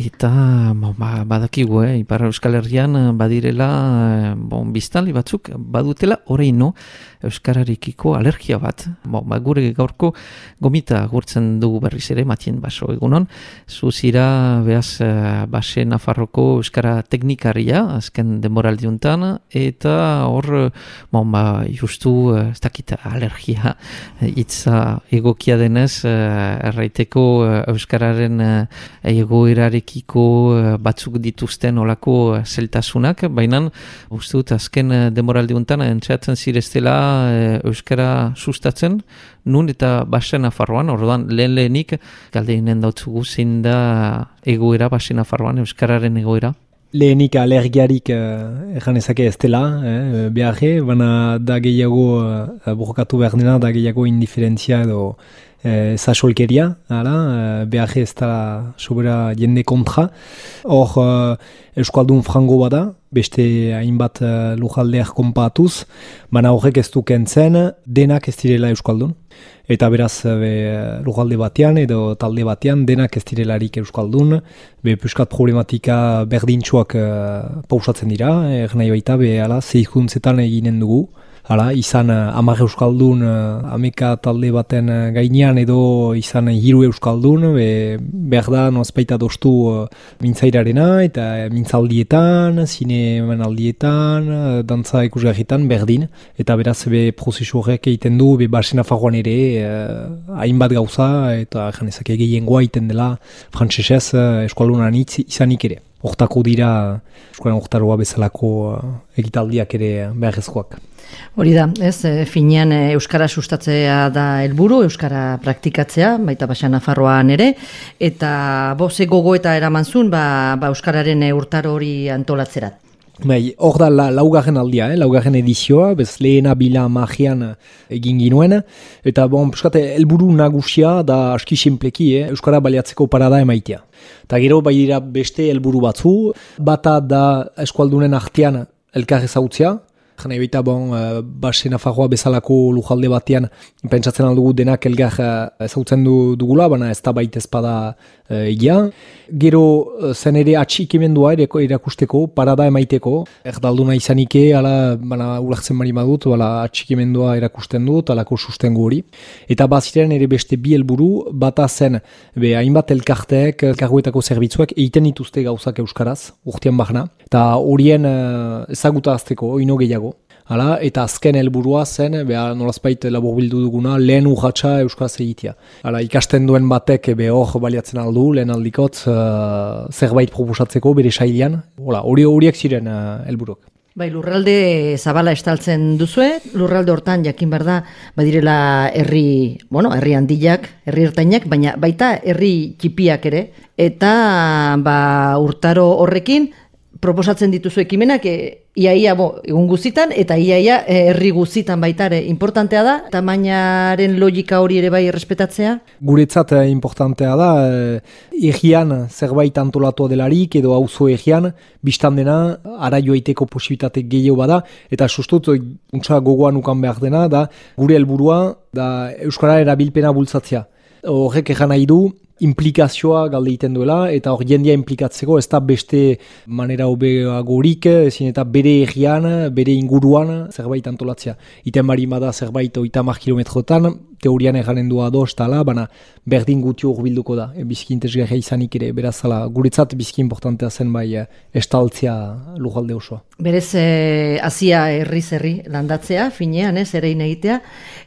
eta badakigu, Ipar Euskal Herrian badirela biztanle batzuk badutela oraino euskararekiko alergia bat. Gure gaurko gomita agurtzen dugu berriz ere, Matien Baso, egunon. Zuzira behaz Base Nafarroko euskara teknikaria, azken denboraldiuntan, eta hor, justu, ez dakit alergia, hitza egokia denez, erraiteko euskararen egoerarekiko batzuk dituzten olako zeltasunak, baina uste dut azken denboraldiuntan entxeatzen zireztela euskara sustatzen, nun eta Base Nafarroan, orduan lehenik galdeinen dautzugu zein da egoera Base Nafarroan, euskararen egoera? Lehenik alergiarik ezake ez dela, beharre, baina da gehiago borrokatu behar dena, da gehiago indiferentzia edo zasolkeria, beharre ez da sobera jende kontra. Hor, euskaldun frango bada, beste hainbat lujaldeak konpatuz, baina horrek ez du kentzen, denak ez direla euskaldun. Eta beraz, lujalde batean edo talde batean, denak ez direlarik euskaldun, puskat problematika berdintxoak pausatzen dira, nahi baita, zehikuntzetan eginen dugu. Izan 10 euskaldun ameka talde baten gainean edo izan 3 euskaldun, behar da nozpaita doztu mintzairarena eta mintzaldietan, zinemanaldietan, dantza ikusgarritan berdin. Eta beraz prozesu horrek egiten du Base Nafarroan ere hainbat gauza eta janezak gehiengoa egiten dela frantsesez euskaldunan izanik ere. Hortako dira eskolan hortaroa bezalako egitaldiak ere beharrezkoak. Hori da, finean euskara sustatzea da helburu, euskara praktikatzea, baita Base Nafarroan ere, eta ze gogoeta eraman zuen euskararen urtaro hori antolatzerat. Hor da laugarren aldia, laugarren edizioa, lehena bila magian egin ginuen, eta helburu nagusia da aski sinpleki, euskara baliatzeko parada emaitea. Eta gero bai dira beste helburu batzu, bata da eskualdunen artean elkar ezautzea, jana ebita Base Nafarroa bezalako lujalde batean pentsatzen aldugu denak elgar ezautzen dugula, baina ez da baita ezpada egia. Gero zen ere atxikimendua erakusteko, parada emaiteko, erdalduna izanike, baina ulertzen bari badut, atxikimendua erakusten dut, alako sustengu hori. Eta baziren ere beste bi helburu, bata zen hainbat elkarteek, elkarguetako zerbitzuak egiten dituzte gauzak euskaraz, urtean bahna, eta horien ezagutazteko, ino gehiago. Eta azken helburua zen, nolazpait laburbildu duguna, lehen urratsa euskaraz egitea. Ikasten duen batek hor baliatzen aldu, lehen aldikot, zerbait proposatzeko bere sailean. Horiek ziren helburuk. Lurralde zabala estaltzen duzue, lurralde hortan jakin behar da, badirela herri handiak, herri ertainak, baina baita herri txipiak ere, eta urtaro horrekin, proposatzen dituzu ekimenak iaia egun guzitan eta iaia herri guzitan baita ere. Importantea da, tamainaren logika hori ere bai errespetatzea? Guretzat importantea da, egian zerbait antolatua delarik edo auzo egian, biztan dena, ara joaiteko posibilitate gehiago bada, eta sustut, untsa gogoan ukan behar dena, da gure helburua da euskara erabilpena bultzatzea. Horrek egan nahi du, implikazioa galde egiten duela, eta hor jendia implikatzeko ez da beste manera hobeagorik, ezin eta bere egian, bere inguruan zerbait antolatzea. Iten bari bada zerbait 30 kilometrotan, teorian eganen du ados tala, baina berdin gutio urbilduko da, bizki intezgarria izanik ere, beraz guretzat bizki importantea zen estaltzea lujalde osoa. Berez, hasia herri landatzea, finean, erein egitea,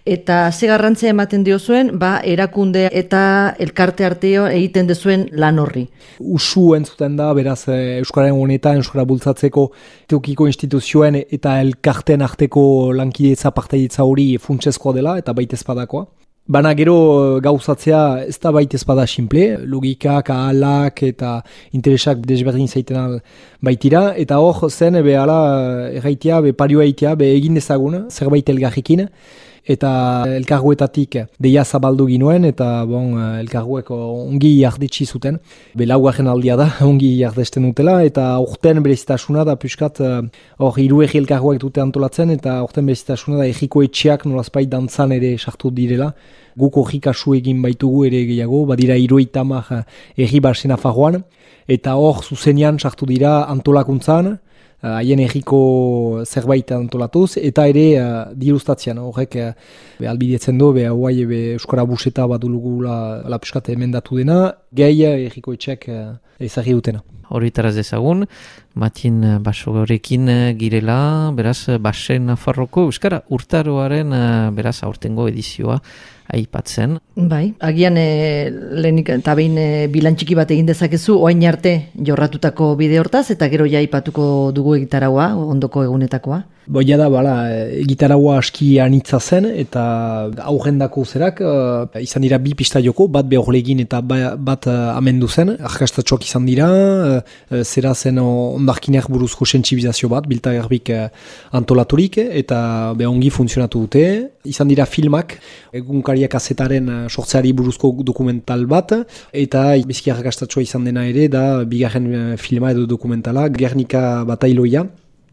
eta ze garrantzia ematen diozuen, erakunde eta elkarte arteo egiten dezuen lan horri. Usu entzuten da, beraz, Euskararen honetan, Euskara bultzatzeko teokiko instituzioen eta elkarten arteko lankidetza partaidetza hori funtsezkoa dela, eta baita ezpadakoa. Baina gero gauzatzea ez da baita ezpada simple, logikak, ahalak eta interesak desberdin zaiten baitira, eta hor zen, erraitea, parioa egitea, egin dezagun, zerbait elgarrikin, eta elkargoetatik deia zabaldu ginuen, eta elkargoek ongi jardetsi zuten. Laugarren aldia da, ongi jardesten dutela, eta aurten berezitasuna da puskat, hiru egi elkargoek dute antolatzen, eta aurten berezitasuna da egiko etxeak nolazpait dantzan ere sartu direla. Guk hori kasu egin baitugu ere gehiago, badira 70 egi Basen Nafarroan, eta hor zuzenean sartu dira antolakuntzan, haien egiko zerbait antolatuz, eta ere dirustatzean, horrek albidetzen du, hauai Euskara buseta bat dulugula piskat emendatu dena, gehi egiko etxeak ezagri dutena. Horitaraz dezagun, Matin Basorekin girela, beraz, Basen Nafarroko Euskara urtaroaren beraz aurtengo edizioa aipatzen. Bai, agian lehenik eta behin bilantxiki bat egin dezakezu, oain arte jorratutako bide hortaz, eta gero ja aipatuko dugu egitaragoa, ondoko egunetakoa. Boia da, egitaragoa aski anitza zen, eta aurrendako zerak, izan dira 2 pista joko, bat behorlegin eta bat amendu zen, arkastatxoak izan dira, zera zen ondarkineak buruzko sentsibizazio bat, biltagarbik antolaturik, eta ongi funtzionatu dute. Izan dira filmak, egunkariak azetaren sortzeari buruzko dokumental bat, eta bizki arkastatxoa izan dena ere, da bigarren filma edo dokumentala, Gernika Batailoia.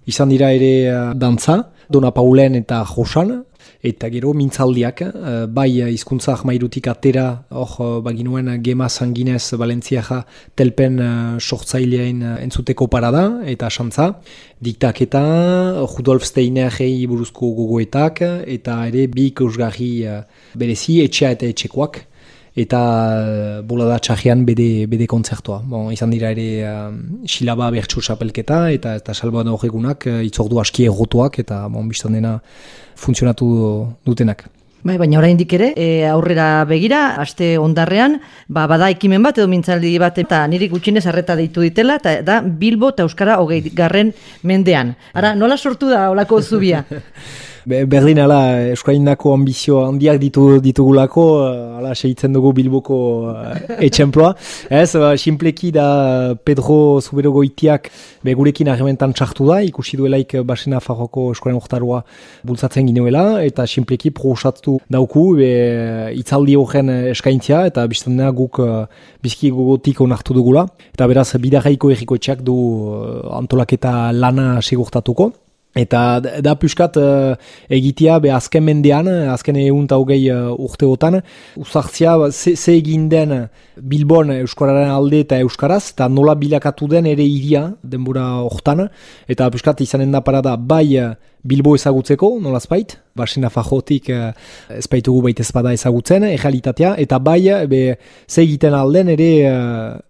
Izan dira ere dantza, Dona Paulen eta Josan, eta gero mintzaldiak, bai hizkuntza ahmairutik atera, hor baginuen Gema Sanginez Valentziaja telpen sortzaileain entzuteko parada, eta xantza, diktaketa, Rudolf Steinerrei buruzko gogoetak, eta ere bi ikusgarri berezi, etxea eta etxekoak, eta bolada txarrian bede kontzertua. Izan dira ere Xilaba bertsu xapelketa eta Salvador egunak itzordu aski errotuak eta biztan dena funtzionatu dutenak. Bai, baina oraindik ere, aurrera begira, aste ondarrean, bada ekimen bat edo mintzaldi bat, eta niri gutxinez arreta deitu ditela, eta da Bilbo eta Euskara 20. mendean. Ara, nola sortu da olako zubia? Berdin Euskarindako ambizio handiak ditugulako, segitzen dugu Bilboko etxemploa. Sinpleki da Pedro Zubero Goitiak gurekin harrementan txartu da, ikusi duelaik Basen Nafarroko Euskaren urtaroa bultzatzen ginuela, eta sinpleki proposatu dauku itzaldi horren eskaintzia, eta biztandena guk bizki gogotik onartu dugula. Eta beraz, bidarraiko erriko etxeak du antolaketa lana segurtatuko. Eta da puskat egitea azken mendean, azken 120 urteotan, uzartzia ze egin den Bilbon Euskararen alde eta Euskaraz, eta nola bilakatu den ere iria denbora hortan, eta puskat izanen da parada bai Bilbo ezagutzeko, nolazpait, Basen Nafarrotik ezpaitugu baita ezpada ezagutzen, errealitatea, eta bai ze egiten alden ere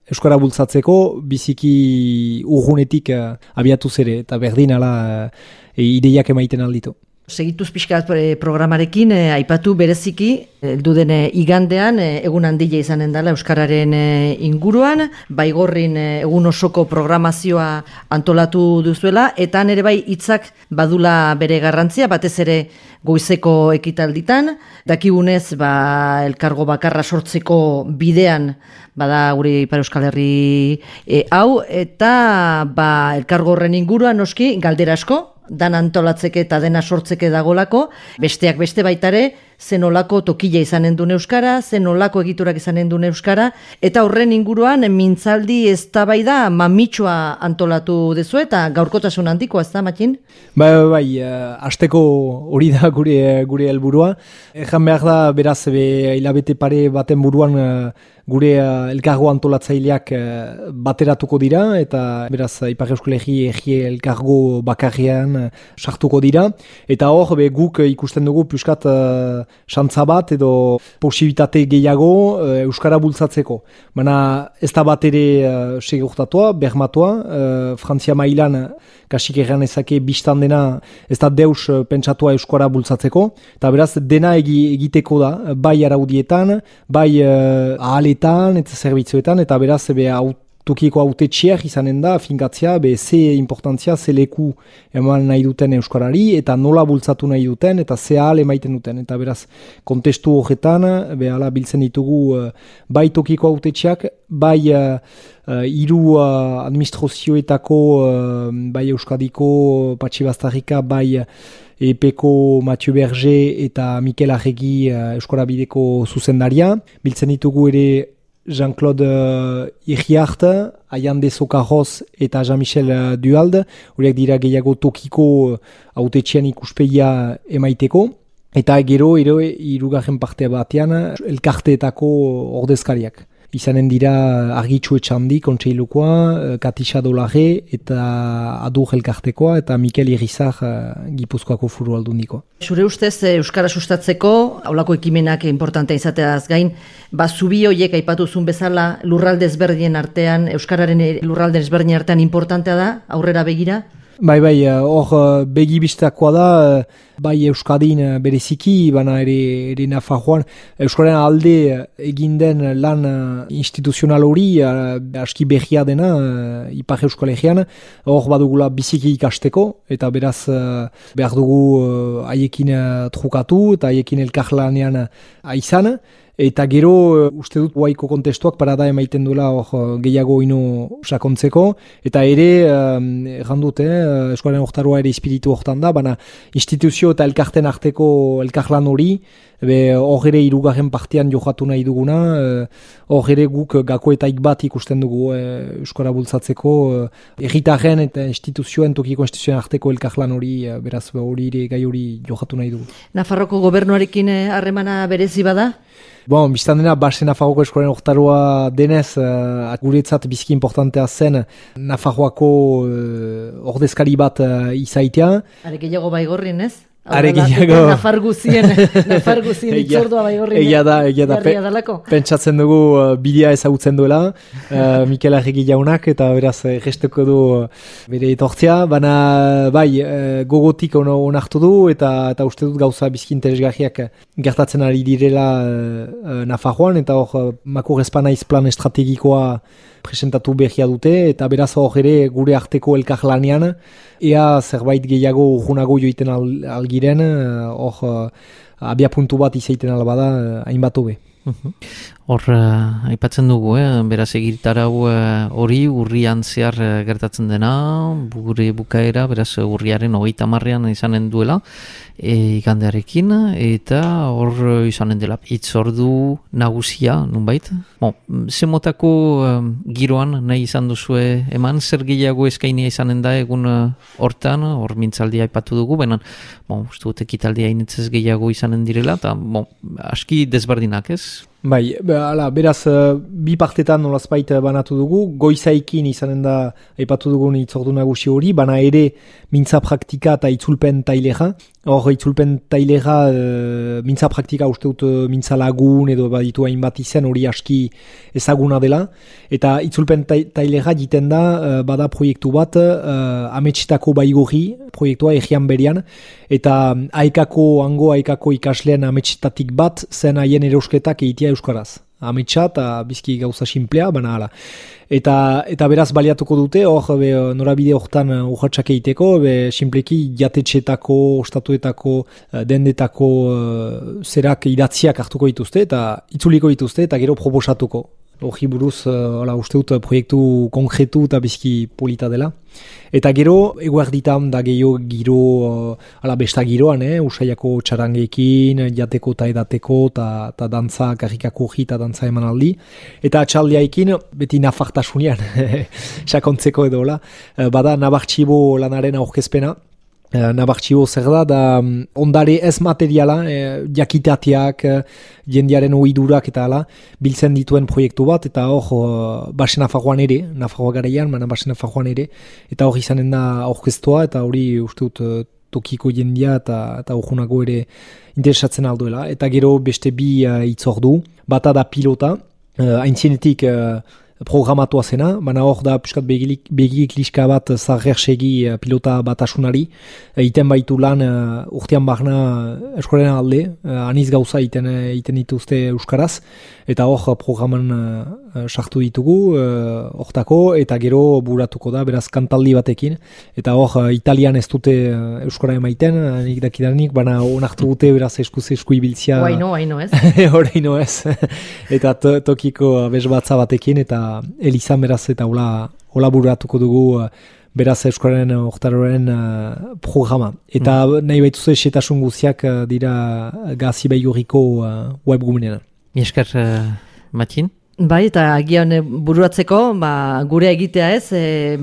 Euskara bultzatzeko biziki urgunetik abiatu zere, eta berdin ideiak emaiten alditu. Segituz pixkat programarekin, aipatu bereziki, heldu den igandean, egun handia izanen dela Euskararen inguruan, Baigorrin egun osoko programazioa antolatu duzuela, eta nere bai hitzak badula bere garrantzia, batez ere goizeko ekitalditan, dakigunez elkargo bakarra sortzeko bidean, bada gure Ipar Euskal Herri hau, eta elkargo horren inguruan noski galdera asko, dan antolatzeke eta dena sortzeke dagolako, besteak beste baitare, zenolako tokila izanen duen Euskara, zenolako egiturak izanen duen Euskara, eta horren inguruan mintzaldi eztabaida mamitsua antolatu dezu eta gaurkotasun handikoa, ez da, Matin? Bai, hasteko hori da gure helburua. Ejan behar da, beraz, hilabete pare baten buruan gure elkargo antolatzaileak bateratuko dira, eta beraz, Ipar Euskal Herri elkargo bakarrean sartuko dira, eta hor, guk ikusten dugu puskat xantza bat edo posibilitate gehiago Euskara bultzatzeko. Baina ez da bat ere segurtatua, bermatua, Frantzia mailan kasik erran ezake biztan dena ez da deus pentsatua Euskara bultzatzeko, eta beraz dena egiteko da, bai araudietan, bai ahaletan eta zerbitzuetan, eta beraz tokiko hautetxeak izanen da, finkatzea, ze importantzia, ze leku eman nahi duten euskarari, eta nola bultzatu nahi duten, eta ze ahal emaiten duten. Eta beraz, kontestu horretan, behala biltzen ditugu bai tokiko hautetxeak, bai hiru administrazioetako, bai Euskadiko, Patxi Bastarrika, bai EPeko Mathieu Berger eta Mikel Arregi Euskara Bideko zuzendaria. Biltzen ditugu ere Jean-Claude Iriart, Ayande Sokarroz eta Jean-Michel Duhalde, horiek dira gehiago tokiko hautetxean ikuspegia emaiteko. Eta gero, hirugarren parte batean, elkarteetako ordezkariak. Izanen dira Argitxu Etxandi, kontseilukoa, Katisa Dolare eta Adur elkartekoa eta Mikel Irizar Gipuzkoako Foru Aldundikoa. Zure ustez, Euskara sustatzeko, haulako ekimenak importantea izateaz gain, zubi horiek aipatuzun bezala lurralde ezberdien artean, Euskararen lurralde ezberdien artean importantea da, aurrera begira? Bai, hor begibistakoa da, bai Euskadin bereziki, baina ere Nafarroan, Euskararen alde egin den lan instituzional hori, aski berria dena, Ipar Euskal Herrian, hor badugula biziki ikasteko, eta beraz behar dugu haiekin trukatu, eta haiekin elkarlanean aizan. Eta gero, uste dut, guaiko kontestuak parada emaiten duela gehiago ino sakontzeko. Eta ere, errandut, Euskararen hortaroa ere espiritu hortan da, baina instituzio eta elkarten arteko elkarlan hori, hor ere hirugarren partean jokatu nahi duguna, hor ere guk gakoetaik bat ikusten dugu Euskara bultzatzeko, herritarren eta instituzioen, tokiko instituzioen arteko elkarlan hori, beraz hori ere gai hori jokatu nahi dugu. Nafarroko gobernuarekin harremana berezi bada? Biztan dena, basen Nafarroako Euskararen hortaroa denez, guretzat biziki importantea zen Nafarroako ordezkari bat izaitea. Are gehiago Baigorrin, ez? Are gehiago. Nafarguzien itzordua Baigorrin. Egia da, pentsatzen dugu bidea ezagutzen duela, Mikel Arregi jaunak, eta beraz gesteko du bere etortzea, baina bai, gogotik onartu du, eta uste dut gauza bizki interesgarriak gertatzen ari direla Nafarroan, eta hor Makur Espanaiz plan estrategikoa presentatu behia dute, eta beraz hor ere gure arteko elkarlanean, ea zerbait gehiago urgunago joiten algiren, hor abia puntu bat izaiten albada hainbat hobe. Hor, aipatzen dugu, beraz egitarau hori urrian zehar gertatzen dena, gure bukaera, beraz urriaren 30 izanen duela, igandearekin, eta hor izanen dela hitzordu nagusia, nunbait? Ze motako giroan nahi izan duzue eman, zer gehiago eskainia izanen da egun hortan, hor mintzaldia aipatu dugu, baina, uste dut ekitaldia initzez gehiago izanen direla, eta aski desberdinak, ez? Bai, beraz, bi partetan nolazbait banatu dugu, goizaikin izanen da aipatu dugun hitzordu nagusi hori, bana ere mintza praktika eta itzulpen tailera. Hor, itzulpen tailera, mintza praktika uste dut mintza lagun edo baditu hainbat izen hori aski ezaguna dela. Eta itzulpen tailera jiten da, bada proiektu bat, ametxetako baigorri proiektua egian berian, eta haikako ikasleen ametxetatik bat zen haien ereusketak egitea euskaraz. Ametsa eta bizki gauza simplea, baina hala. Eta beraz baliatuko dute, hor norabide hortan urratxak egiteko, simpleki jatetxetako, ostatuetako, dendetako zerak idatziak hartuko dituzte, eta itzuliko dituzte, eta gero proposatuko. Hori buruz, uste dut proiektu konkretu eta bizki polita dela. Eta gero, eguerditan da gehiago giro, besta giroan, usaiako txarangekin, jateko eta edateko, eta dantza, karrikako hori eta dantza eman aldi. Eta atxaldiaikin, beti nafartasunean, sakontzeko edo, bada nabartxibo lanaren aurkezpena. Nabartxibo zer da ondare ez materiala, jakitateak, jendearen ohidurak eta hala, biltzen dituen proiektu bat, eta hor Basen Nafarroan ere, Nafarroa garaian, baina Basen Nafarroan ere, eta hor izanen da aurkeztua, eta hori uste dut tokiko jendia eta urgunago ere interesatzen alduela. Eta gero beste bi hitzordu, bata da pilota, aintzienetik programatua zena, baina hor da piskat begik liska bat zarrersegi pilota batasunari, iten baitu lan urtean barna Euskararen alde, aniz gauza iten dituzte Euskaraz, eta hor programan sartu ditugu, hortako, eta gero buratuko da, beraz kantaldi batekin, eta hor, Italian ez dute euskara emaiten, nik dakidanik, baina onartu dute, beraz esku ibiltzia. Haino ez. Horaino ez. Eta tokiko bezbatza batekin, eta elizan beraz, eta hola buratuko dugu, beraz euskararen oktaroren programa. Eta nahi baituz esetasun guziak dira Gazi Baigurriko webgunean. Esker, Matxin? Bai, eta agian buruatzeko, gure egitea ez,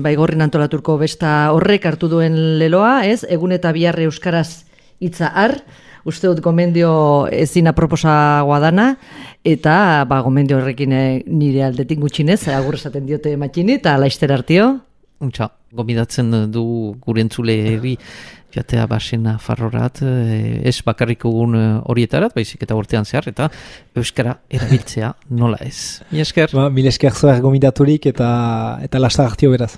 Baigorrin antolaturko besta horrek hartu duen leloa, ez, egun eta bihar euskaraz hitza har, uste dut gomendio ezin aproposagoa dana, eta gomendio horrekin nire aldetik gutxinez, agur esaten diote Matxini, eta laizter hartio. Untxa, gomidatzen du gure entzuleri jatea basena farrorat, ez bakarriko gun horietarat, baizik eta urtean zehar, eta euskara erabiltzea nola ez. Mil esker. Mil esker zoer gomidaturik eta lastar hartio beraz.